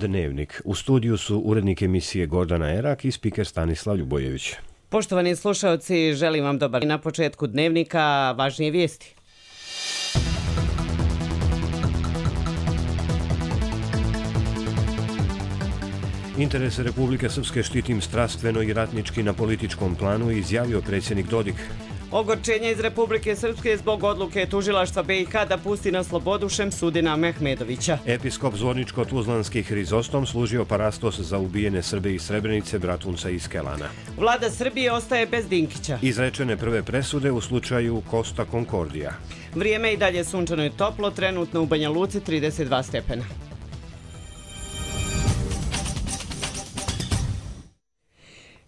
Dnevnik. U studiju su urednik emisije Gordana Erak i spiker Stanislav Ljubojević. Poštovani slušaoci, želim vam dobar dan. Na početku Dnevnika važnije vijesti. Interese Republike Srpske štitim strastveno i ratnički na političkom planu, izjavio predsjednik Dodik. Ogorčenje iz Republike Srpske zbog odluke tužilaštva BiH da pusti na slobodu Šemsudina Mehmedovića. Episkop Zvorničko-Tuzlanski Hrizostom služio parastos za ubijene Srbe iz Srebrenice, Bratunca i Skelana. Vlada Srbije ostaje bez Dinkića. Izrečene prve presude u slučaju Costa Concordia. Vrijeme i dalje sunčano i toplo, trenutno u Banja Luci 32 stepena.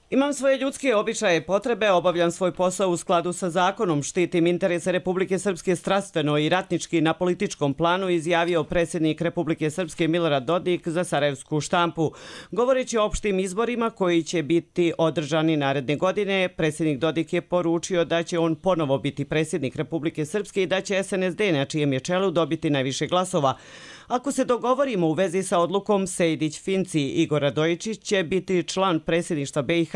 Imam svoje ljudske običaje i potrebe, obavljam svoj posao u skladu sa zakonom, štitim interese Republike Srpske strastveno i ratnički na političkom planu, izjavio predsjednik Republike Srpske Milorad Dodik za sarajevsku štampu. Govoreći o opštim izborima koji će biti održani naredne godine, predsjednik Dodik je poručio da će on ponovo biti predsjednik Republike Srpske i da će SNSD na čijem je čelu dobiti najviše glasova. Ako se dogovorimo u vezi sa odlukom, Sejdić-Finci Igor Radojičić će biti član predsjedništva BiH.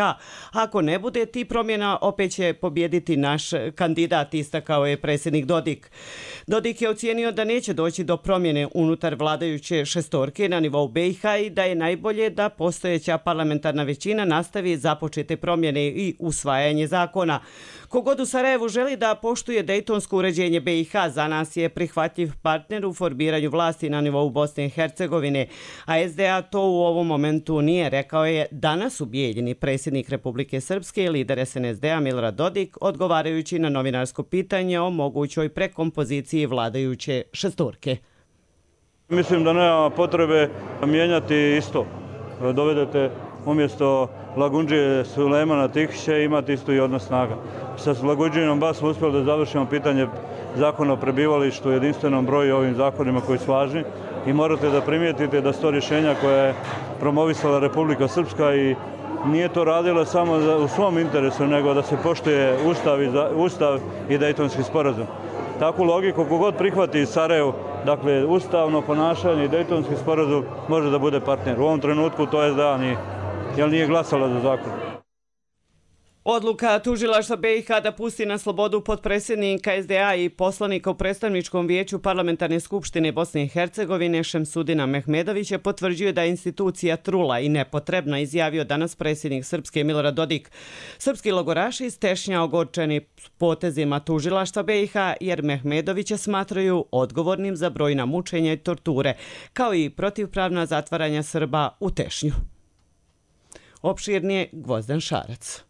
Ako ne bude ti promjena, opet će pobjediti naš kandidat, istakao je predsjednik Dodik. Dodik je ocijenio da neće doći do promjene unutar vladajuće šestorke na nivou BiH i da je najbolje da postojeća parlamentarna većina nastavi započete promjene i usvajanje zakona. Kogod u Sarajevu želi da poštuje dejtonsko uređenje BiH, za nas je prihvatljiv partner u formiranju vlasti na nivou Bosne i Hercegovine, a SDA to u ovom momentu nije, rekao je danas u Bijeljini predsjednik Republike Srpske i lider SNSD-a Milorad Dodik, odgovarajući na novinarsko pitanje o mogućoj prekompoziciji vladajuće šestorke. Mislim da nema potrebe mijenjati isto. Dovedete umjesto Lagundžije Sulejmana Tihića imati isto i odnos snaga. Sa Lagundžinom baš smo uspjeli da završimo pitanje zakona o prebivalištu u jedinstvenom broju ovim zakonima koji su važni i morate da primijetite da su to rješenja koje je promovisala Republika Srpska i nije to radila samo u svom interesu, nego da se poštuje Ustav i Dejtonski sporazum. Takvu logiku kogod prihvati Sarajevo, dakle ustavno ponašanje i Dejtonski sporazum može da bude partner. U ovom trenutku to SDA nije, jer nije glasala za zakon. Odluka tužilaštva BiH da pusti na slobodu potpredsjednika SDA i poslanika u predstavničkom vijeću Parlamentarne skupštine Bosne i Hercegovine Šemsudina Mehmedovića potvrđuje da je institucija trula i nepotrebna, izjavio danas predsjednik Srpske Milorad Dodik. Srpski logoraši iz Tešnja ogorčeni potezima tužilaštva BiH jer Mehmedovića smatraju odgovornim za brojna mučenja i torture, kao i protivpravna zatvaranja Srba u Tešnju. Opširnije Gvozden Šarac.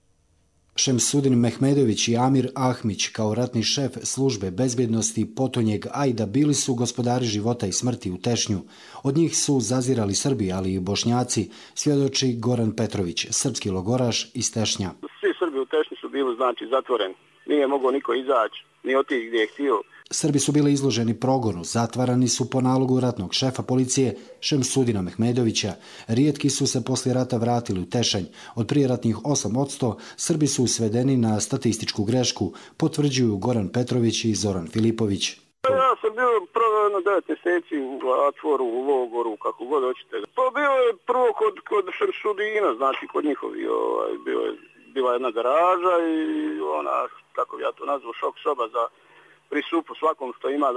Šemsudin Mehmedović i Amir Ahmić kao ratni šef službe bezbjednosti potonjeg Ajda bili su gospodari života i smrti u Tešnju. Od njih su zazirali Srbi, ali i Bošnjaci, svjedoči Goran Petrović, srpski logoraš iz Tešnja. Svi Srbi u Tešnju su bili zatvoreni. Nije mogao niko izaći, ni otići gdje je htio. Srbi su bili izloženi progonu, zatvarani su po nalogu ratnog šefa policije Šemsudina Mehmedovića. Rijetki su se poslije rata vratili u Tešanj. Od prijeratnih 8%, Srbi su svedeni na statističku grešku, potvrđuju Goran Petrović i Zoran Filipović. Ja sam bio prvo 9 mjeseci u zatvoru, u logoru, kako god hoćete. Pa bio je prvo kod Šemsudina, znači kod njihovi, bila jedna garaža i ona, kako ja to nazvu, šok soba za prisupu svakom što ima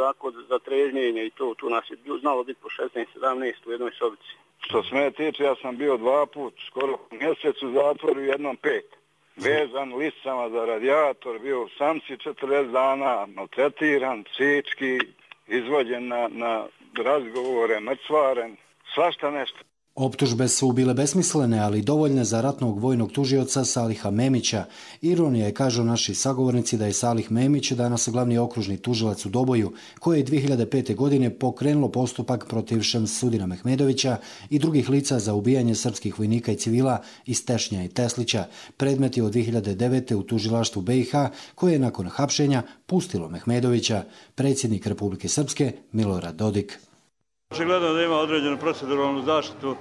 za trežnjenje i to. Tu nas je znalo biti po 16-17 u jednoj sobici. Što se mene tiče, ja sam bio 2 puta, skoro mjesec u zatvoru, jednom 5. Vezan lisicama za radijator, bio u samci 40 dana, maltretiran, psihički, izvođen na razgovore, mrcvaren, svašta nešto. Optužbe su bile besmislene, ali dovoljne za ratnog vojnog tužioca Saliha Memića. Ironija je, kažu naši sagovornici, da je Salih Memić danas glavni okružni tužilac u Doboju, koje je 2005. godine pokrenulo postupak protiv Šemsudina Mehmedovića i drugih lica za ubijanje srpskih vojnika i civila iz Tešnja i Teslića. Predmet je od 2009. u tužilaštvu BiH, koje je nakon hapšenja pustilo Mehmedovića. Predsjednik Republike Srpske Milorad Dodik. Očigledno da ima određenu proceduralnu zaštitu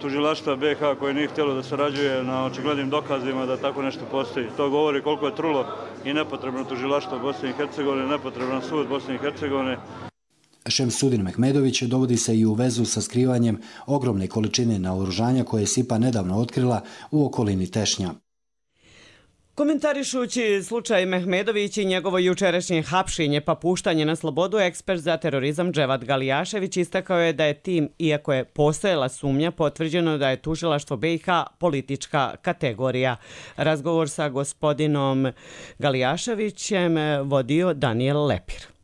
tužilaštva BiH koje nije htjelo da sarađuje na očiglednim dokazima da tako nešto postoji. To govori koliko je trulo i nepotrebno tužilaštvo Bosne i Hercegovine, nepotreban sud Bosne i Hercegovine. Šemsudin Mehmedović dovodi se i u vezu sa skrivanjem ogromne količine naoružanja koje je SIPA nedavno otkrila u okolini Tešnja. Komentarišući slučaj Mehmedović i njegovo jučerašnje hapšenje pa puštanje na slobodu, ekspert za terorizam Dževat Galijašević istakao je da je tim, iako je postojala sumnja, potvrđeno da je tužilaštvo BiH politička kategorija. Razgovor sa gospodinom Galijaševićem vodio Daniel Lepir.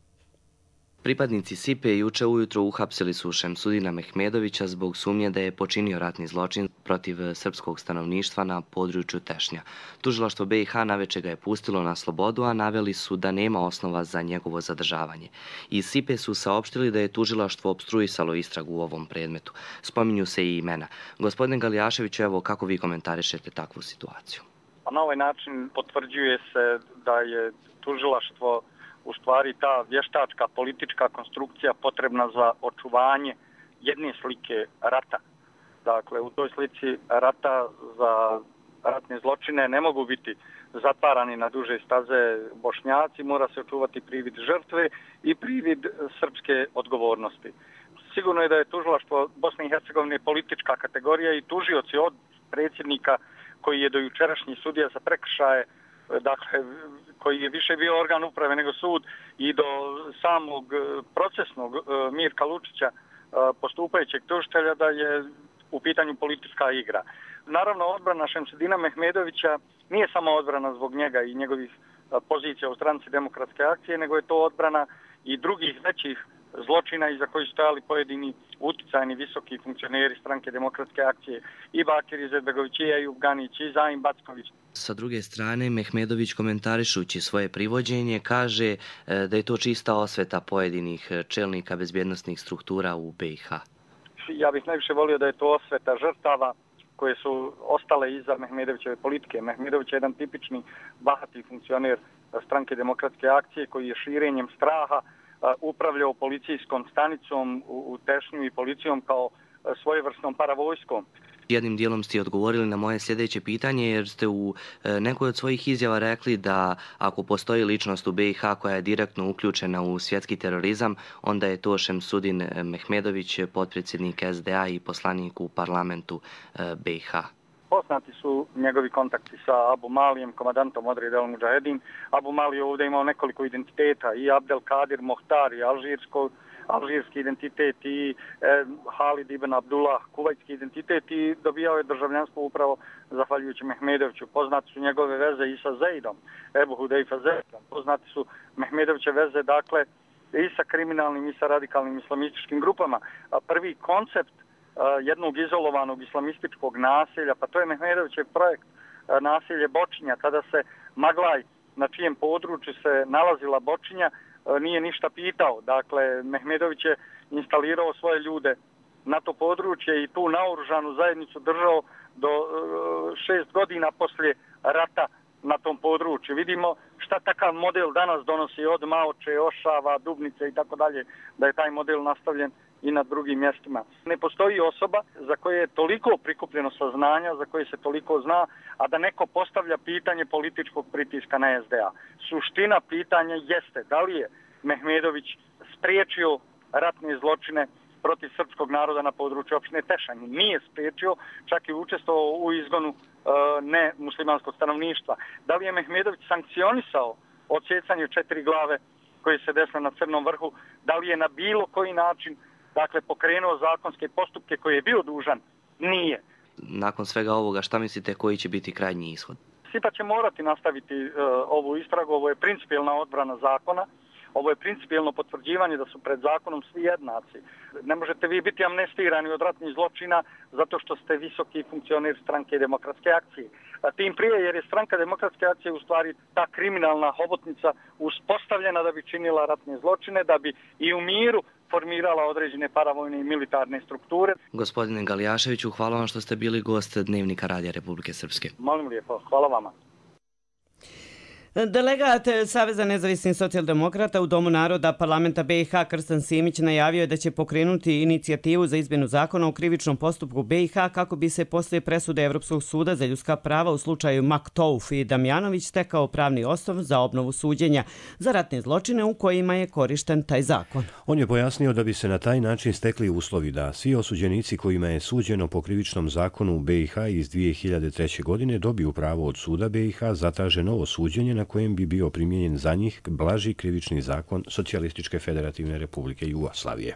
Pripadnici SIPE juče ujutro uhapsili su Šemsudina Mehmedovića zbog sumnje da je počinio ratni zločin protiv srpskog stanovništva na području Tešnja. Tužilaštvo BiH naveče ga je pustilo na slobodu, a naveli su da nema osnova za njegovo zadržavanje. Iz SIPE su saopštili da je tužilaštvo opstruisalo istragu u ovom predmetu. Spominju se i imena. Gospodine Galijaševiću, evo kako vi komentarišete takvu situaciju? Na ovaj način potvrđuje se da je tužilaštvo u stvari ta vještačka politička konstrukcija potrebna za očuvanje jedne slike rata. Dakle, u toj slici rata za ratne zločine ne mogu biti zatvarani na duže staze Bošnjaci, mora se očuvati privid žrtve i privid srpske odgovornosti. Sigurno je da je tužilaštvo Bosne i Hercegovine politička kategorija i tužioci od predsjednika koji je do jučerašnji sudija za prekršaje, dakle, koji je više bio organ uprave nego sud, i do samog procesnog Mirka Lučića, postupajućeg tužitelja, da je u pitanju politička igra. Naravno, odbrana Šemsudina Mehmedovića nije samo odbrana zbog njega i njegovih pozicija u stranci Demokratske akcije, nego je to odbrana i drugih većih zločina iza koji su stajali pojedini uticajni visoki funkcioneri stranke Demokratske akcije, i Bakir Izetbegović, i Ejub Ganić, i Zaim Backović. Sa druge strane, Mehmedović komentarišući svoje privođenje kaže da je to čista osveta pojedinih čelnika bezbjednosnih struktura u BiH. Ja bih najviše volio da je to osveta žrtava koje su ostale iza Mehmedovićeve politike. Mehmedović je jedan tipični bahati funkcioner stranke Demokratske akcije koji je širenjem straha upravljao policijskom stanicom u Tešnju i policijom kao svojevrsnom paravojskom. Jednim dijelom ste odgovorili na moje sljedeće pitanje, jer ste u nekoj od svojih izjava rekli da ako postoji ličnost u BiH koja je direktno uključena u svjetski terorizam, onda je to Šemsudin Mehmedović, potpredsjednik SDA i poslanik u parlamentu BiH. Poznati su njegovi kontakti sa Abu Malijem, komandantom Odreda El Mudžahedin. Abu Mali je ovdje imao nekoliko identiteta, i Abdel Kadir Mohtar, i alžirski identitet, i Halid ibn Abdullah, kuvajtski identitet, i dobijao je državljanstvo upravo zahvaljujući Mehmedoviću. Poznati su njegove veze i sa Zeidom, Ebu Hudejfa Zeidom. Poznati su Mehmedoviće veze, dakle, i sa kriminalnim i sa radikalnim islamističkim grupama. A prvi koncept jednog izolovanog islamističkog naselja, pa to je Mehmedovićev projekt naselje Bočinja, kada se Maglaj, na čijem području se nalazila Bočinja, nije ništa pitao. Dakle, Mehmedović je instalirao svoje ljude na to područje i tu naoružanu zajednicu držao do 6 godina poslije rata na tom području. Vidimo šta takav model danas donosi od Maoče, Ošava, Dubnice i tako dalje, da je taj model nastavljen i na drugim mjestima. Ne postoji osoba za koje je toliko prikupljeno saznanja, za koje se toliko zna, a da neko postavlja pitanje političkog pritiska na SDA. Suština pitanja jeste da li je Mehmedović spriječio ratne zločine protiv srpskog naroda na području opštine Tešanj. Nije spriječio, čak i učestvovao u izgonu nemuslimanskog stanovništva. Da li je Mehmedović sankcionisao odsjecanje 4 glave koje se desile na Crnom vrhu? Da li je na bilo koji način, dakle, pokrenuo zakonske postupke koje je bio dužan? Nije. Nakon svega ovoga, šta mislite koji će biti krajnji ishod? SIPA će morati nastaviti ovu istragu. Ovo je principijelna odbrana zakona. Ovo je principijelno potvrđivanje da su pred zakonom svi jednaci. Ne možete vi biti amnestirani od ratnih zločina zato što ste visoki funkcioner stranke Demokratske akcije. A tim prije jer je stranka Demokratske akcije u stvari ta kriminalna hobotnica uspostavljena da bi činila ratne zločine, da bi i u miru formirala određene paravojne i militarne strukture. Gospodine Galijaševiću, hvala vam što ste bili gost Dnevnika Radija Republike Srpske. Molim lijepo, hvala vama. Delegat Saveza nezavisnih socijaldemokrata u Domu naroda parlamenta BiH Krstan Simić najavio je da će pokrenuti inicijativu za izmjenu zakona o krivičnom postupku BiH kako bi se poslije presude Evropskog suda za ljudska prava u slučaju Maktouf i Damjanović stekao pravni osnov za obnovu suđenja za ratne zločine u kojima je korišten taj zakon. On je pojasnio da bi se na taj način stekli uslovi da svi osuđenici kojima je suđeno po krivičnom zakonu u BiH iz 2003. godine dobiju pravo od suda BiH zatraže novo suđenje na kojem bi bio primijenjen za njih blaži krivični zakon Socijalističke federativne republike Jugoslavije.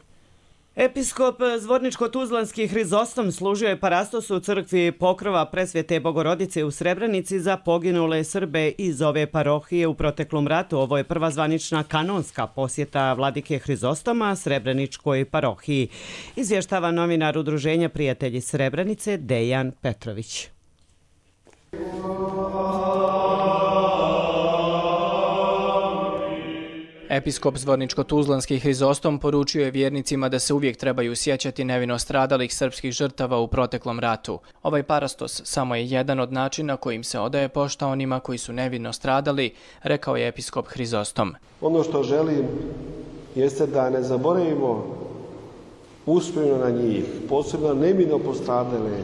Episkop Zvorničko-Tuzlanski Hrizostom služio je parastos u crkvi Pokrova Presvete Bogorodice u Srebrenici za poginule Srbe iz ove parohije u proteklom ratu. Ovo je prva zvanična kanonska posjeta vladike Hrizostoma Srebreničkoj parohiji. Izvještava novinar Udruženja Prijatelji Srebrenice Dejan Petrović. Episkop Zvorničko-Tuzlanski Hrizostom poručio je vjernicima da se uvijek trebaju sjećati nevino stradalih srpskih žrtava u proteklom ratu. Ovaj parastos samo je jedan od načina kojim se odaje pošta onima koji su nevino stradali, rekao je episkop Hrizostom. Ono što želim jeste da ne zaboravimo uspomenu na njih, posebno nevino postradale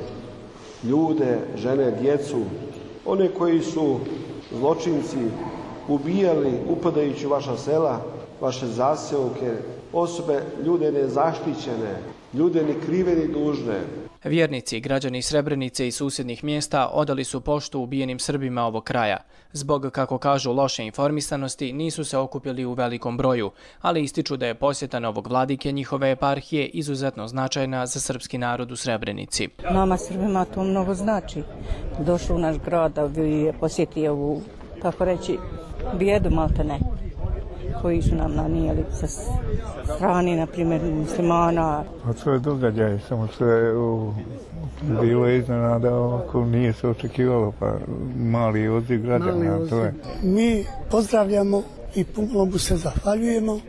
ljude, žene, djecu, one koji su zločinci ubijali upadajući u vaša sela, vaše zaseoke, osobe, ljude nezaštićene, ljude ni krive ni dužne. Vjernici i građani Srebrenice i susjednih mjesta odali su poštu ubijenim Srbima ovog kraja. Zbog, kako kažu, loše informisanosti nisu se okupili u velikom broju, ali ističu da je posjeta novog vladike njihove eparhije izuzetno značajna za srpski narod u Srebrenici. Nama Srbima to mnogo znači. Došao u naš grad da bi posjetio ovu, tako reći, bijedu maltene koji su nam nanijeli sa strani, na primjer, muslimana. To je događaj, samo što je bilo iznenada, ako nije se očekivalo, pa mali odziv građana. Mi pozdravljamo i puno mu se zahvaljujemo,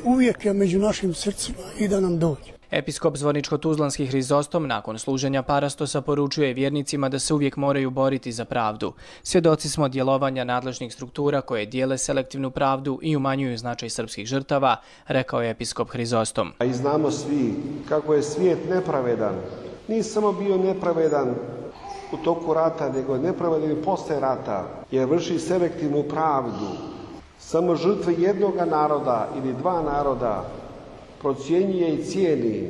uvijek je među našim srcima i da nam dođe. Episkop Zvorničko-Tuzlanski Hrizostom nakon služenja parastosa poručuje vjernicima da se uvijek moraju boriti za pravdu. Svjedoci smo djelovanja nadležnih struktura koje dijele selektivnu pravdu i umanjuju značaj srpskih žrtava, rekao je episkop Hrizostom. I znamo svi kako je svijet nepravedan. Nije samo bio nepravedan u toku rata, nego je nepravedan i posle rata, jer vrši selektivnu pravdu. Samo žrtve jednoga naroda ili dva naroda procjenjuje i cijeni,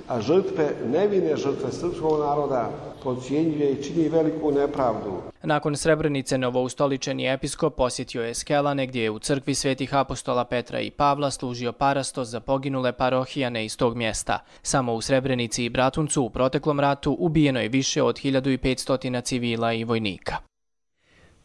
a žrtve, nevine žrtve srpskog naroda procjenjuje i čini veliku nepravdu. Nakon Srebrenice novoustoličeni episkop posjetio je Skelane gdje je u crkvi svetih apostola Petra i Pavla služio parastos za poginule parohijane iz tog mjesta. Samo u Srebrenici i Bratuncu u proteklom ratu ubijeno je više od 1500 civila i vojnika.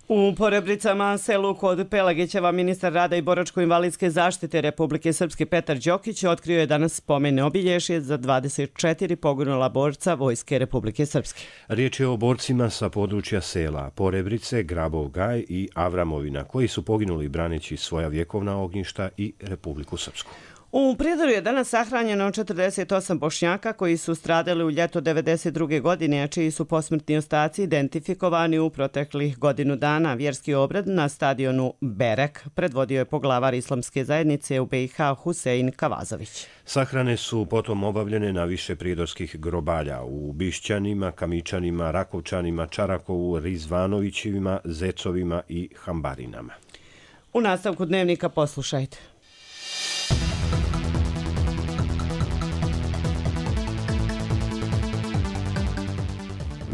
U Porebricama, selu kod Pelagićeva, ministar rada i boračko-invalidske zaštite Republike Srpske Petar Đokić otkrio je danas spomene obilježje za 24 poginula borca Vojske Republike Srpske. Riječ je o borcima sa područja sela Porebrice, Grabov Gaj i Avramovina, koji su poginuli braneći svoja vjekovna ognjišta i Republiku Srpsku. U Prijedoru je danas sahranjeno 48 Bošnjaka koji su stradali u ljeto 1992. godine, a čiji su posmrtni ostaci identifikovani u proteklih godinu dana. Vjerski obrad na stadionu Berek predvodio je poglavar islamske zajednice u BiH Husein Kavazović. Sahrane su potom obavljene na više prijedorskih grobalja u Bišćanima, Kamičanima, Rakovčanima, Čarakovu, Rizvanovićima, Zecovima i Hambarinama. U nastavku dnevnika poslušajte.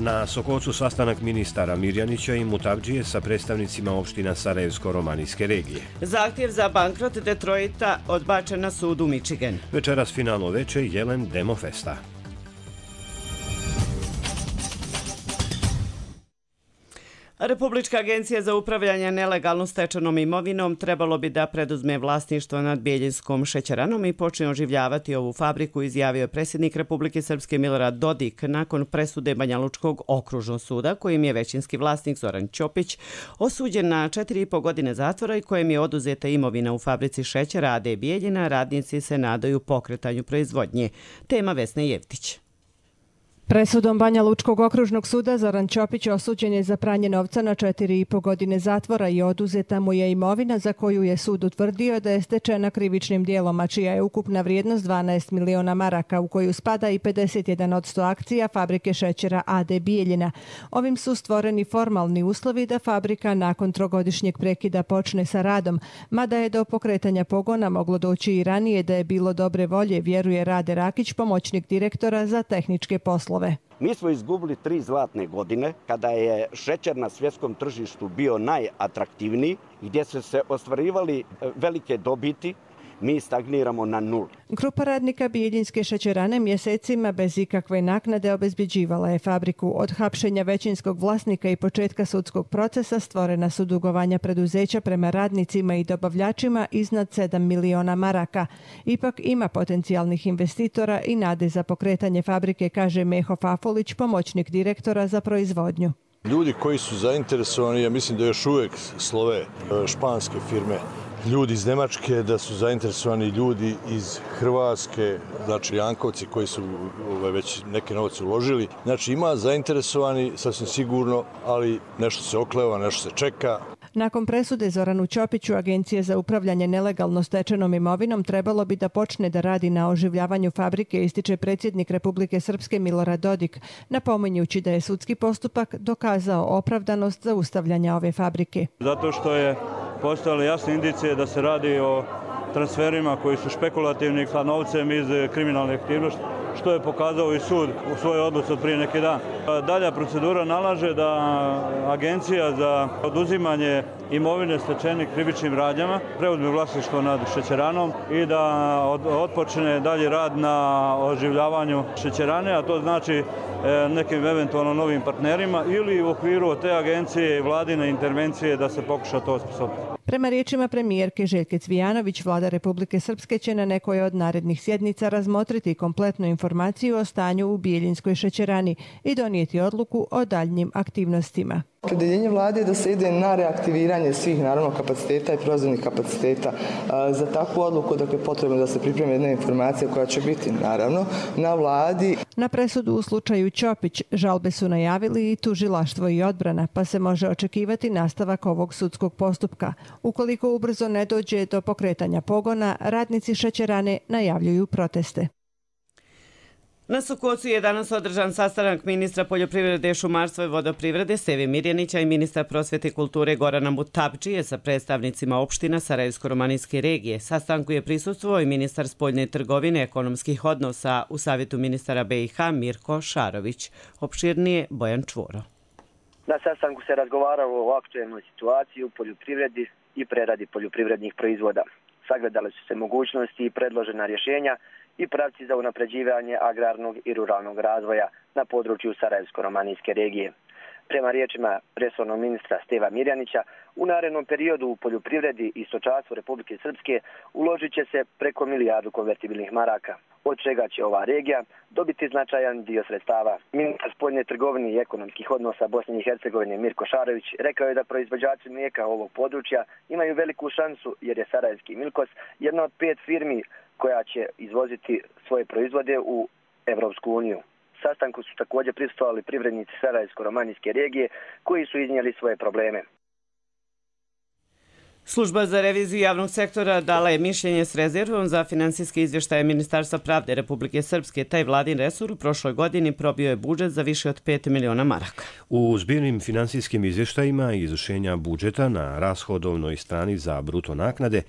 Na Sokocu sastanak ministara Mirjanića i Mutavdžije sa predstavnicima opština Sarajevsko-Romanijske regije. Zahtjev za bankrot Detroita odbačen na sudu Michigan. Večeras finalno veče Jelen Demofesta. Republička agencija za upravljanje nelegalno stečenom imovinom trebalo bi da preduzme vlasništvo nad Bijeljinskom šećeranom i počne oživljavati ovu fabriku, izjavio je predsjednik Republike Srpske Milorad Dodik nakon presude Banjalučkog okružnog suda, kojim je većinski vlasnik Zoran Ćopić osuđen na 4,5 godine zatvora i kojem je oduzeta imovina u fabrici šećera AD Bijeljina. Radnici se nadaju pokretanju proizvodnje. Tema Vesne Jevtić. Presudom Banja Lučkog okružnog suda Zoran Ćopić osuđen je za pranje novca na 4,5 godine zatvora i oduzeta mu je imovina za koju je sud utvrdio da je stečena krivičnim dijelom, a čija je ukupna vrijednost 12 miliona maraka, u koju spada i 51% akcija fabrike šećera AD Bijeljina. Ovim su stvoreni formalni uslovi da fabrika nakon trogodišnjeg prekida počne sa radom, mada je do pokretanja pogona moglo doći i ranije da je bilo dobre volje, vjeruje Rade Rakić, pomoćnik direktora za tehničke poslove. Mi smo izgubili 3 zlatne godine kada je šećer na svjetskom tržištu bio najatraktivniji, gdje su se ostvarivali velike dobiti. Mi stagniramo na 0. Grupa radnika Bijeljinske šećerane mjesecima bez ikakve naknade obezbjeđivala je fabriku. Od hapšenja većinskog vlasnika i početka sudskog procesa stvorena su dugovanja preduzeća prema radnicima i dobavljačima iznad 7 miliona maraka. Ipak ima potencijalnih investitora i nade za pokretanje fabrike, kaže Meho Fafolić, pomoćnik direktora za proizvodnju. Ljudi koji su zainteresovani, ja mislim da još uvijek slove španske firme, ljudi iz Njemačke, da su zainteresovani ljudi iz Hrvatske, znači Jankovci koji su već neke novce uložili. Znači ima zainteresovani, sasvim sigurno, ali nešto se okleva, nešto se čeka. Nakon presude Zoranu Ćopiću, Agencija za upravljanje nelegalno stečenom imovinom trebalo bi da počne da radi na oživljavanju fabrike, ističe predsjednik Republike Srpske Milorad Dodik, napominjući da je sudski postupak dokazao opravdanost zaustavljanja ove fabrike. Zato što je postojale jasne indicije da se radi o transferima koji su špekulativni sa novcem iz kriminalne aktivnosti, što je pokazao i sud u svojoj odluci od prije neki dan. Dalja procedura nalaže da Agencija za oduzimanje imovine stečenih krivičnim radnjama preuzme vlasništvo nad šećeranom i da otpočne dalje rad na oživljavanju šećerane, a to znači nekim eventualno novim partnerima ili u okviru te agencije i vladine intervencije da se pokuša to osposobiti. Prema riječima premijerke Željke Cvijanović, vlada Republike Srpske će na nekoj od narednih sjednica razmotriti kompletnu informaciju o stanju u Bijeljinskoj šećerani i donijeti odluku o daljnjim aktivnostima. Opredjeljenje vlade je da se ide na reaktiviranje svih naravno kapaciteta i proizvodnih kapaciteta. Za takvu odluku dakle potrebno da se pripremi jedna informacija koja će biti naravno na vladi. Na presudu u slučaju Ćopić žalbe su najavili i tužilaštvo i odbrana, pa se može očekivati nastavak ovog sudskog postupka. Ukoliko ubrzo ne dođe do pokretanja pogona, radnici šećerane najavljuju proteste. Na Sukocu je danas održan sastanak ministra poljoprivrede, šumarstva i vodoprivrede Steve Mirjanića i ministra prosvjete i kulture Gorana Mutapdžije sa predstavnicima opština Sarajevsko-romanijske regije. Sastanku je prisustvovao i ministar spoljne trgovine ekonomskih odnosa u Savjetu ministara BiH Mirko Šarović. Opširnije Bojan Čvoro. Na sastanku se razgovaralo o aktuelnoj situaciji u poljoprivredi i preradi poljoprivrednih proizvoda. Sagledale su se mogućnosti i predložena rješenja i pravci za unapređivanje agrarnog i ruralnog razvoja na području Sarajevsko-romanijske regije. Prema riječima resornog ministra Steva Mirjanića, u narednom periodu u poljoprivredi i stočarstvu Republike Srpske uložit će se preko 1 milijardu konvertibilnih maraka, od čega će ova regija dobiti značajan dio sredstava. Ministar spoljne trgovine i ekonomskih odnosa Bosne i Hercegovine Mirko Šarović rekao je da proizvođači mlijeka ovog područja imaju veliku šansu jer je Sarajevski Milkos jedna od 5 firmi koja će izvoziti svoje proizvode u Evropsku uniju. Sastanku su također prisustvovali privrednici Sarajevsko-romanijske regije koji su iznijeli svoje probleme. Služba za reviziju javnog sektora dala je mišljenje s rezervom za finansijske izvještaje Ministarstva pravde Republike Srpske. Taj vladin resor u prošloj godini probio je budžet za više od 5 miliona maraka. U zbirnim finansijskim izvještajima izvršenja budžeta na rashodovnoj strani za bruto naknade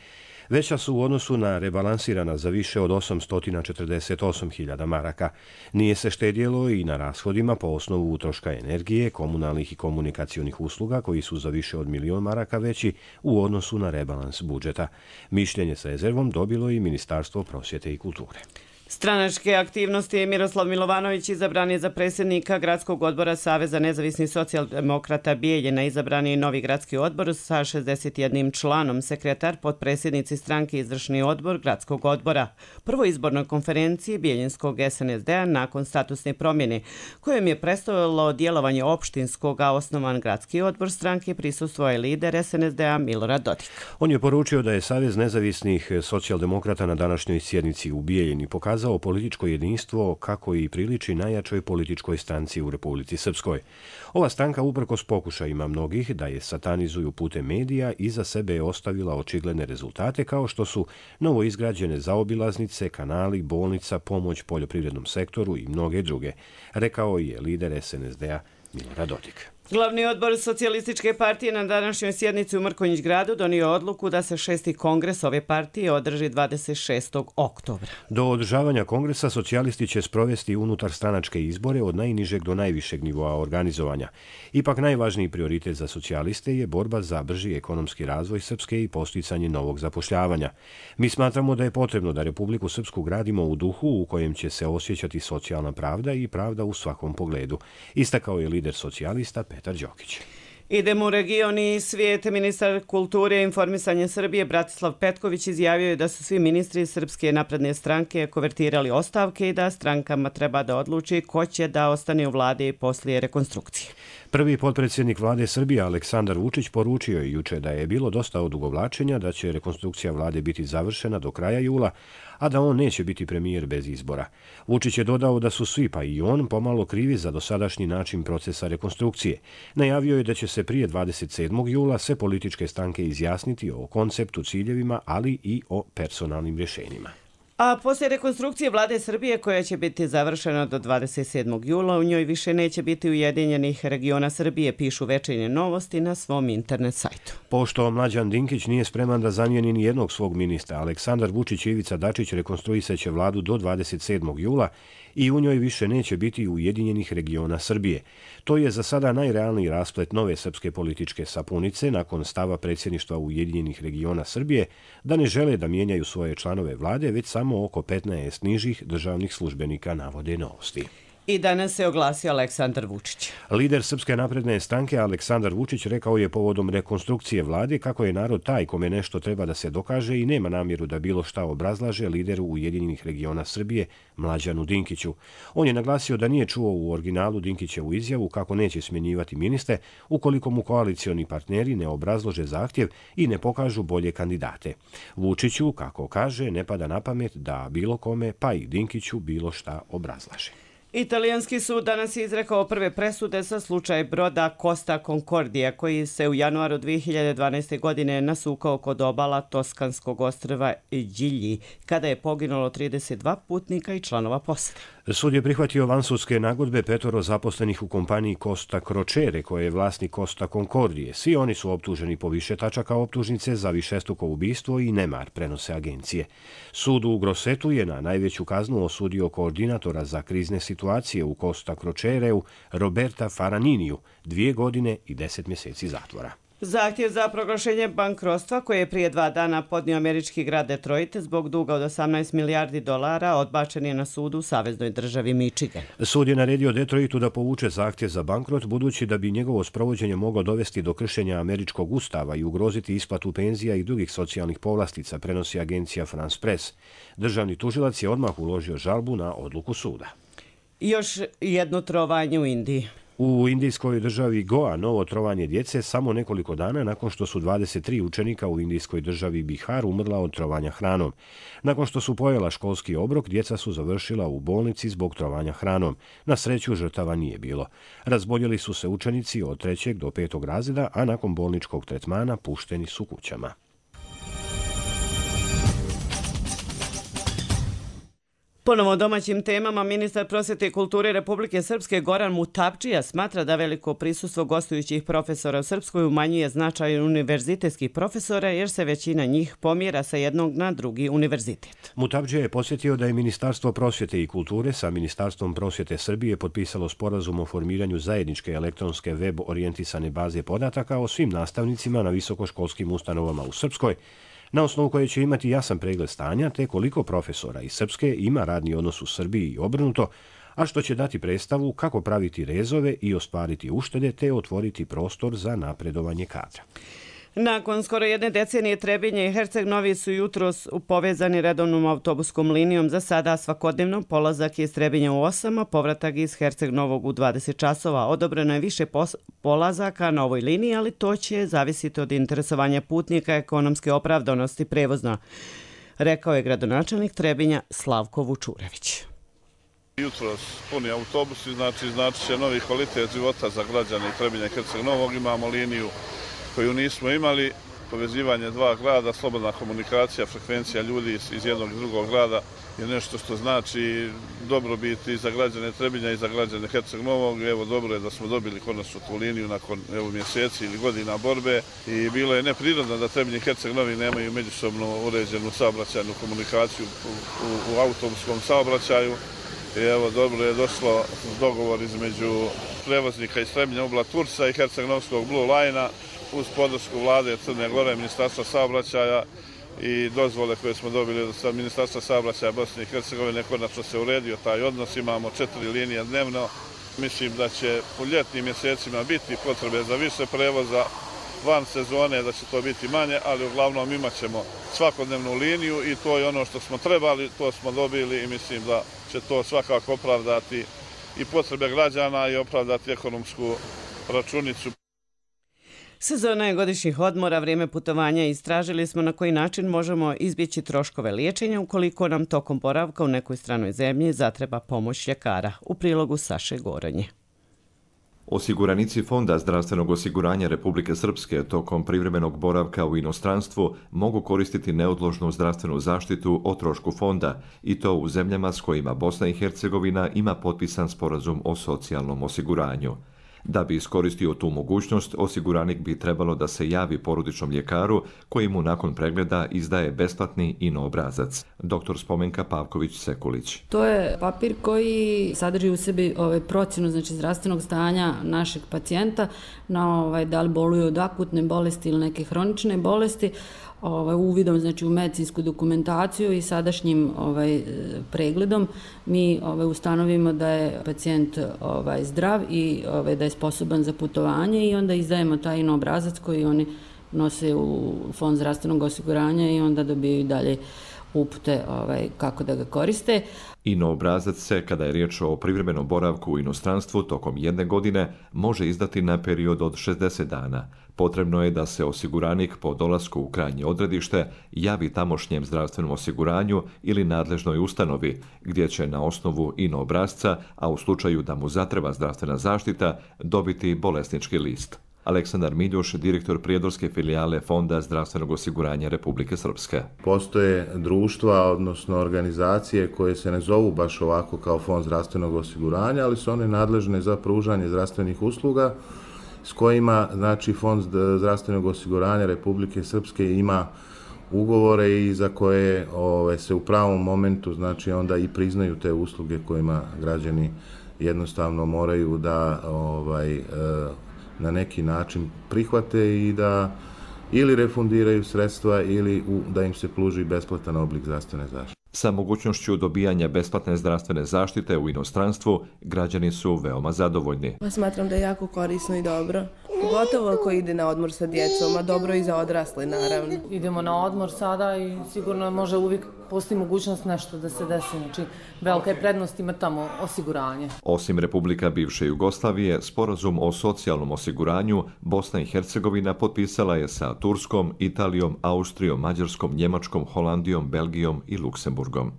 veća su u odnosu na rebalansirana za više od 848.000 maraka. Nije se štedjelo i na rashodima po osnovu utroška energije, komunalnih i komunikacionih usluga koji su za više od 1.000.000 maraka veći u odnosu na rebalans budžeta. Mišljenje s rezervom dobilo i Ministarstvo prosvjete i kulture. Stranačke aktivnosti Miroslav Milovanović izabran je za predsjednika Gradskog odbora Saveza nezavisnih socijaldemokrata Bijeljina. Izabran je novi gradski odbor sa 61 članom, sekretar, potpredsjednici stranke izvršni odbor Gradskog odbora. Prvoj izbornoj konferenciji Bijeljinskog SNSD-a nakon statusne promjene, kojem je predstavilo djelovanje opštinskog, a osnovan gradski odbor stranke, prisustvovao je lider SNSD-a Milorad Dodik. On je poručio da je Savez nezavisnih socijaldemokrata na današnjoj sjednici u Bijeljini pokazao pokazao političko jedinstvo kako i priliči najjačoj političkoj stranci u Republici Srpskoj. Ova stranka, uprkos pokušajima mnogih da je satanizuju putem medija, iza sebe je ostavila očigledne rezultate kao što su novo izgrađene zaobilaznice, kanali, bolnica, pomoć poljoprivrednom sektoru i mnoge druge, rekao je lider SNSD-a Milorad Dodik. Glavni odbor Socijalističke partije na današnjoj sjednici u Mrkonjić gradu donio odluku da se 6. kongres ove partije održi 26. oktobra. Do održavanja kongresa socijalisti će sprovesti unutar stranačke izbore od najnižeg do najvišeg nivoa organizovanja. Ipak najvažniji prioritet za socijaliste je borba za brži ekonomski razvoj Srpske i posticanje novog zapošljavanja. Mi smatramo da je potrebno da Republiku Srpsku gradimo u duhu u kojem će se osjećati socijalna pravda i pravda u svakom pogledu, istakao je lider socijalista Petar Đokić. Idemo u region i svijet. Ministar kulture i informisanja Srbije Bratislav Petković izjavio je da su svi ministri Srpske napredne stranke konvertirali ostavke i da strankama treba da odluči ko će da ostane u vladi poslije rekonstrukcije. Prvi potpredsjednik vlade Srbije Aleksandar Vučić poručio je juče da je bilo dosta odugovlačenja, da će rekonstrukcija vlade biti završena do kraja jula, a da on neće biti premijer bez izbora. Vučić je dodao da su svi, pa i on, pomalo krivi za dosadašnji način procesa rekonstrukcije. Najavio je da će se prije 27. jula sve političke stranke izjasniti o konceptu, ciljevima, ali i o personalnim rješenjima. A poslije rekonstrukcije vlade Srbije, koja će biti završena do 27. jula, u njoj više neće biti ujedinjenih regiona Srbije, pišu Večernje novosti na svom internet sajtu. Pošto Mlađan Dinkić nije spreman da zamijeni ni jednog svog ministra, Aleksandar Vučić i Ivica Dačić rekonstruisaće vladu do 27. jula i u njoj više neće biti ujedinjenih regiona Srbije. To je za sada najrealniji rasplet nove srpske političke sapunice nakon stava predsjedništva Ujedinjenih regiona Srbije da ne žele da mijenjaju svoje članove vlade, već samo oko 15 nižih državnih službenika, navode novosti. I danas se oglasio Aleksandar Vučić. Lider Srpske napredne stranke Aleksandar Vučić rekao je povodom rekonstrukcije vlade kako je narod taj kome nešto treba da se dokaže i nema namjeru da bilo šta obrazlaže lideru Ujedinjenih regiona Srbije Mlađanu Dinkiću. On je naglasio da nije čuo u originalu Dinkićevu izjavu kako neće smjenjivati ministre ukoliko mu koalicioni partneri ne obrazlože zahtjev i ne pokažu bolje kandidate. Vučiću, kako kaže, ne pada na pamet da bilo kome, pa i Dinkiću, bilo šta obrazlaže. Italijanski sud danas je izrekao prve presude za slučaj broda Costa Concordia, koji se u januaru 2012. godine nasukao kod obala toskanskog ostrva Gigli, kada je poginulo 32 putnika i članova posade. Sud je prihvatio vansudske nagodbe 5 zaposlenih u kompaniji Costa Crociere, koje je vlasnik Costa Concordije. Svi oni su optuženi po više tačaka optužnice za višestruko ubistvo i nemar, prenose agencije. Sud u Grossetu je na najveću kaznu osudio koordinatora za krizne situacije u Costa Crociereu Roberta Faraniniju, 2 godine i 10 mjeseci zatvora. Zahtjev za proglašenje bankrotstva koje je prije 2 dana podnio američki grad Detroit zbog duga od $18 milijardi odbačen je na sudu u saveznoj državi Michigan. Sud je naredio Detroitu da povuče zahtjev za bankrot, budući da bi njegovo sprovođenje moglo dovesti do kršenja američkog ustava i ugroziti isplatu penzija i drugih socijalnih povlastica, prenosi agencija France Press. Državni tužilac je odmah uložio žalbu na odluku suda. Još jedno trovanje u Indiji. U indijskoj državi Goa novo trovanje djece samo nekoliko dana nakon što su 23 učenika u indijskoj državi Bihar umrla od trovanja hranom. Nakon što su pojela školski obrok, djeca su završila u bolnici zbog trovanja hranom. Na sreću žrtava nije bilo. Razboljeli su se učenici od 3. do 5. razreda, a nakon bolničkog tretmana pušteni su kućama. Ponovo domaćim temama, ministar prosvjete i kulture Republike Srpske Goran Mutapdžija smatra da veliko prisustvo gostujućih profesora u Srpskoj umanjuje značaj univerzitetskih profesora jer se većina njih pomjera sa jednog na drugi univerzitet. Mutapdžija je podsjetio da je Ministarstvo prosvjete i kulture sa Ministarstvom prosvjete Srbije potpisalo sporazum o formiranju zajedničke elektronske web orijentisane baze podataka o svim nastavnicima na visokoškolskim ustanovama u Srpskoj, na osnovu koje će imati jasan pregled stanja te koliko profesora iz Srpske ima radni odnos u Srbiji i obrnuto, a što će dati predstavu kako praviti rezove i ostvariti uštede te otvoriti prostor za napredovanje kadra. Nakon skoro 1 decenije Trebinje i Herceg Novi su jutros povezani redovnom autobuskom linijom. Za sada svakodnevno polazak iz Trebinja u 8, a povratak iz Herceg Novog u 20 časova. Odobreno je više polazaka na ovoj liniji, ali to će zavisiti od interesovanja putnika, ekonomske opravdanosti prevozna. rekao je gradonačelnik Trebinja Slavko Vučurević. Jutros puni autobusi, znači će novi kvalitet života za građane Trebinja i Herceg Novog. Imamo liniju koju nismo imali, povezivanje dva grada, slobodna komunikacija, frekvencija ljudi iz jednog i drugog grada je nešto što znači dobrobit i za građane Trebinja i za građane Herceg Novog. Evo, dobro je da smo dobili konačno tu liniju nakon mjeseci ili godina borbe i bilo je neprirodno da Trebinje i Herceg Novi nemaju međusobno uređenu saobraćajnu komunikaciju u autobuskom saobraćaju. I evo, dobro je došlo dogovor između prevoznika iz Trebinja Ubla Turca i Herceg-Novskog Blue Line-a uz podršku vlade Crne Gore, Ministarstva saobraćaja i dozvole koje smo dobili od Ministarstva saobraćaja Bosne i Hercegovine. Konačno se uredio taj odnos, imamo 4 linije dnevno. Mislim da će u ljetnim mjesecima biti potrebe za više prevoza, van sezone da će to biti manje, ali uglavnom imat ćemo svakodnevnu liniju i to je ono što smo trebali, to smo dobili i mislim da će to svakako opravdati i potrebe građana i opravdati ekonomsku računicu. Sezona je godišnjih odmora, vrijeme putovanja. Istražili smo na koji način možemo izbjeći troškove liječenja ukoliko nam tokom boravka u nekoj stranoj zemlji zatreba pomoć ljekara. U prilogu Saše Goronje. Osiguranici Fonda zdravstvenog osiguranja Republike Srpske tokom privremenog boravka u inostranstvu mogu koristiti neodložnu zdravstvenu zaštitu o trošku fonda i to u zemljama s kojima Bosna i Hercegovina ima potpisan sporazum o socijalnom osiguranju. Da bi iskoristio tu mogućnost, osiguranik bi trebalo da se javi porodičnom ljekaru koji mu nakon pregleda izdaje besplatni INO obrazac. Dr. Spomenka Pavković-Sekulić. To je papir koji sadrži u sebi procjenu zdravstvenog stanja našeg pacijenta na da li boluje od akutne bolesti ili neke hronične bolesti, uvidom u medicinsku dokumentaciju i sadašnjim pregledom mi ustanovimo da je pacijent zdrav i da je sposoban za putovanje i onda izdajemo taj INO obrazac koji oni nose u Fond zdravstvenog osiguranja i onda dobiju dalje upute kako da ga koriste. INO obrazac se, kada je riječ o privremenom boravku u inostranstvu tokom 1 godine, može izdati na period od 60 dana. Potrebno je da se osiguranik po dolasku u krajnje odredište javi tamošnjem zdravstvenom osiguranju ili nadležnoj ustanovi, gdje će na osnovu INO obrazca, a u slučaju da mu zatreba zdravstvena zaštita, dobiti bolesnički list. Aleksandar Miljuš, direktor prijedorske filijale Fonda zdravstvenog osiguranja Republike Srpske. Postoje društva, odnosno organizacije koje se ne zovu baš ovako kao Fond zdravstvenog osiguranja, ali su one nadležne za pružanje zdravstvenih usluga s kojima, znači, Fond zdravstvenog osiguranja Republike Srpske ima ugovore i za koje se u pravom momentu, znači, onda i priznaju te usluge kojima građani jednostavno moraju da na neki način prihvate i da ili refundiraju sredstva ili da im se pruži besplatan oblik zdravstvene zaštite. Sa mogućnošću dobijanja besplatne zdravstvene zaštite u inostranstvu, građani su veoma zadovoljni. Smatram da je jako korisno i dobro. Pogotovo ako ide na odmor sa djecom, a dobro i za odrasle, naravno. Idemo na odmor sada i sigurno može uvijek postoji mogućnost nešto da se desi. Znači, velika je prednost ima tamo osiguranje. Osim Republika bivše Jugoslavije, sporazum o socijalnom osiguranju Bosna i Hercegovina potpisala je sa Turskom, Italijom, Austrijom, Mađarskom, Njemačkom, Holandijom, Belgijom i Luksemburgom.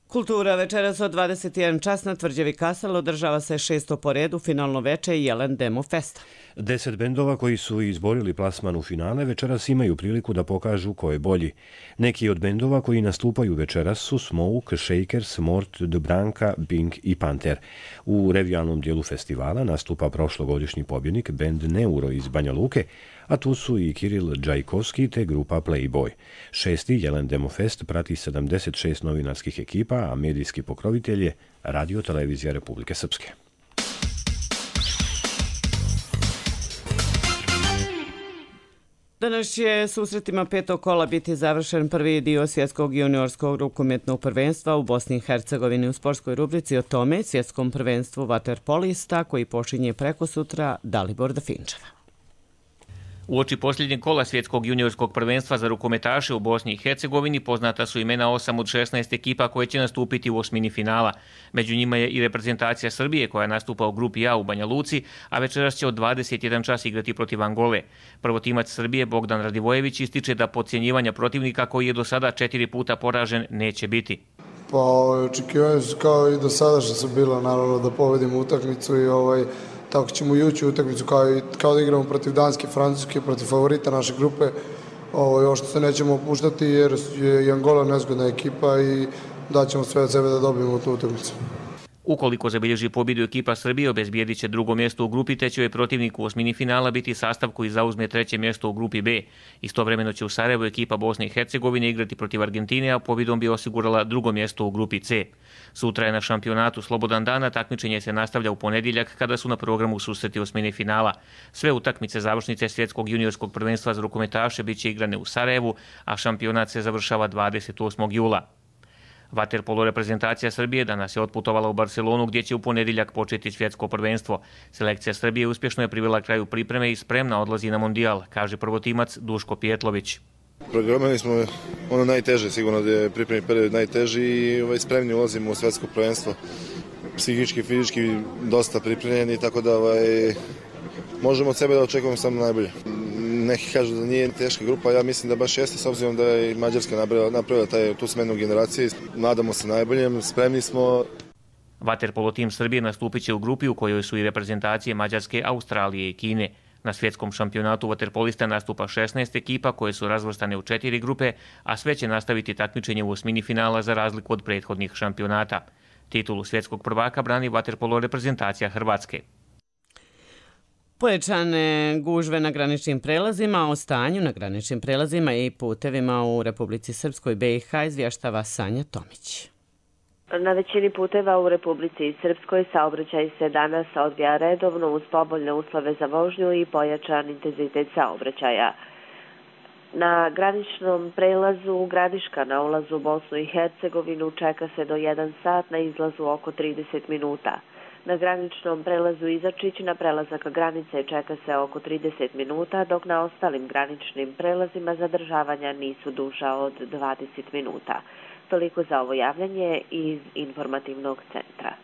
Kultura večeras od 21 čas na Tvrđavi Kasal održava se 6. po redu finalno veče Jelen Demo Festa. 10 bendova koji su izborili plasman u finale večeras imaju priliku da pokažu ko je bolji. Neki od bendova koji nastupaju večeras su Smoke, Shakers, Mort, Dubranka, Bing i Panter. U revijalnom dijelu festivala nastupa prošlogodišnji pobjednik bend Neuro iz Banja Luke, a tu su i Kiril Džajkovski te grupa Playboy. 6. Jelen Demo Fest prati 76 novinarskih ekipa, a medijski pokrovitelj je Radio Televizija Republike Srpske. Danas će susretima 5. kola biti završen prvi dio svjetskog juniorskog rukometnog prvenstva u Bosni i Hercegovini. U sportskoj rubrici o tome svjetskom prvenstvu vaterpolista koji počinje preko sutra Dalibor Dafinčeva. Uoči posljednjeg kola svjetskog juniorskog prvenstva za rukometaše u Bosni i Hercegovini poznata su imena 8 od 16 ekipa koje će nastupiti u osmini finala. Među njima je i reprezentacija Srbije koja nastupa u grupi A u Banja Luci, a večeras će od 21 čas igrati protiv Angole. Prvotimac Srbije Bogdan Radivojević ističe da podcjenjivanja protivnika koji je do sada 4 puta poražen neće biti. Pa očekivanja su kao i do sada što su bila, naravno da povedimo utakmicu i tako ćemo i ući u utakmicu kao da igramo protiv Danske, Francuske, protiv favorita naše grupe. Još se nećemo opuštati jer je i Angola nezgodna ekipa i daćemo sve od sebe da dobijemo tu utakmicu. Ukoliko zabilježi pobjedu ekipa Srbije, obezbijedit će drugo mjesto u grupi, te će joj protivnik u osmini finala biti sastav koji zauzme treće mjesto u grupi B. Istovremeno će u Sarajevu ekipa Bosne i Hercegovine igrati protiv Argentine, a pobjedom bi osigurala drugo mjesto u grupi C. Sutra je na šampionatu slobodan dan, a takmičenje se nastavlja u ponedjeljak kada su na programu susreti osmine finala. Sve utakmice završnice svjetskog juniorskog prvenstva za rukometaše bit će igrane u Sarajevu, a šampionat se završava 28. jula. Vaterpolo reprezentacija Srbije danas je otputovala u Barcelonu gdje će u ponedjeljak početi svjetsko prvenstvo. Selekcija Srbije uspješno je privela kraju pripreme i spremna odlazi na mondijal, kaže prvotimac Duško Pijetlović. Programirali smo ono najteže, sigurno da je pripremni period najteži i spremni ulazimo u svjetsko prvenstvo. Psihički, fizički dosta pripremljeni, tako da možemo od sebe da očekujemo samo najbolje. Neki kažu da nije teška grupa, ja mislim da baš jeste, s obzirom da je i Mađarska napravila tu smenu generacije. Nadamo se najboljem, spremni smo. Vaterpolo tim Srbije nastupit će u grupi u kojoj su i reprezentacije Mađarske, Australije i Kine. Na svjetskom šampionatu vaterpolista nastupa 16 ekipa koje su razvrstane u 4 grupe, a sve će nastaviti takmičenje u osmini finala za razliku od prethodnih šampionata. Titulu svjetskog prvaka brani vaterpolo reprezentacija Hrvatske. Pojačane gužve na graničnim prelazima, o stanju na graničnim prelazima i putevima u Republici Srpskoj BiH izvještava Sanja Tomić. Na većini puteva u Republici Srpskoj saobraćaj se danas odvija redovno uz povoljne uslove za vožnju i pojačan intenzitet saobraćaja. Na graničnom prelazu Gradiška na ulazu u Bosnu i Hercegovinu čeka se do 1 sat, na izlazu oko 30 minuta. Na graničnom prelazu Izačić na prelazak granice čeka se oko 30 minuta, dok na ostalim graničnim prelazima zadržavanja nisu duža od 20 minuta. Toliko za ovo javljanje iz informativnog centra.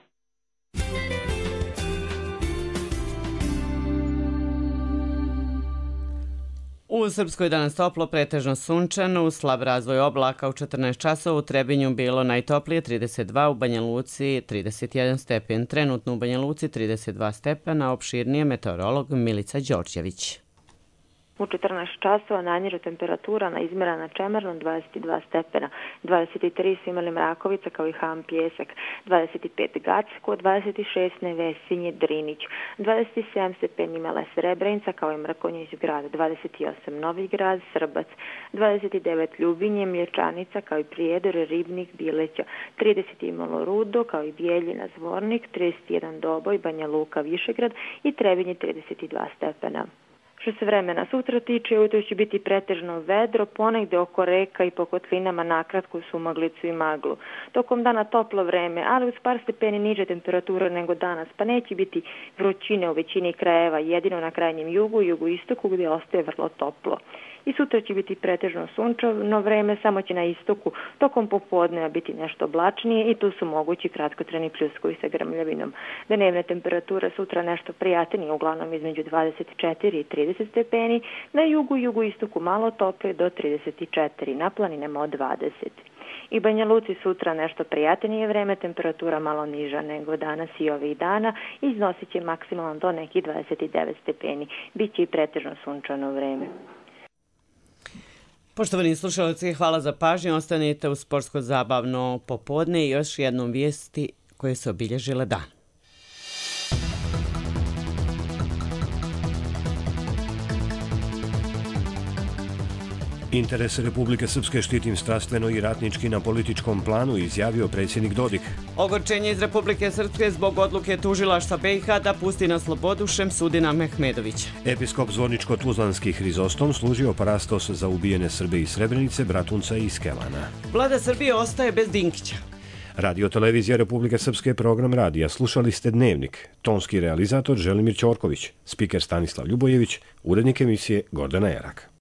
U Srpskoj danas toplo, pretežno sunčano, uz slab razvoj oblaka u 14 časova, u Trebinju bilo najtoplije 32, u Banja Luci 31 stepen, trenutno u Banja Luci 32 stepena, opširnije meteorolog Milica Đorđević. U 14 časova najniža temperatura na izmjerana Čemernom 22 stepena, 23 su imali Mrakovica kao i Ham Pjesak, 25 Gacko, 26 Nevesinje Drinić, 27 stepeni imala Srebrenica kao i Mrkonjić grad, 28 Novi grad, Srbac, 29 Ljubinje, Mlječanica kao i Prijedor, Ribnik, Bileća, 30 imalo Rudo kao i Bijeljina, Zvornik, 31 Doboj, Banja Luka, Višegrad i Trebinje 32 stepena. Što se vremena sutra tiče, ujutro će biti pretežno vedro, ponegde oko reka i po kotlinama nakratko sumaglicu i maglu. Tokom dana toplo vreme, ali uz par stepeni niže temperature nego danas, pa neće biti vrućine u većini krajeva, jedino na krajnjem jugu i jugoistoku gdje ostaje vrlo toplo. I sutra će biti pretežno sunčano vreme, samo će na istoku tokom popodneva biti nešto oblačnije i tu su mogući kratkotrajni pljuskovi sa grmljavinom. Dnevne temperature sutra nešto prijatnije, uglavnom između 24 i 30 stepeni, na jugu i jugoistoku malo toplije do 34, na planinama od 20. I Banja Luci sutra nešto prijatnije vreme, temperatura malo niža nego danas i ovih dana, iznosit će maksimalno do nekih 29 stepeni, bit će i pretežno sunčano vreme. Poštovani slušalci, hvala za pažnju. Ostanite u sportsko-zabavno popodne i još jednom vijesti koje su obilježile dan. Interese Republike Srpske štitim strastveno i ratnički na političkom planu, izjavio predsjednik Dodik. Ogorčenje iz Republike Srpske zbog odluke tužilaštva BiH da pusti na slobodu Šemsudina Mehmedovića. Episkop Zvorničko-Tuzlanski Hrizostom služio parastos za ubijene Srbe iz Srebrenice, Bratunca i Skelana. Vlada Srbije ostaje bez Dinkića. Radio Televizija Republike Srpske, program radija. Slušali ste Dnevnik. Tonski realizator Želimir Ćorković, spiker Stanislav Ljubojević, urednik emisije Gordana Jerak.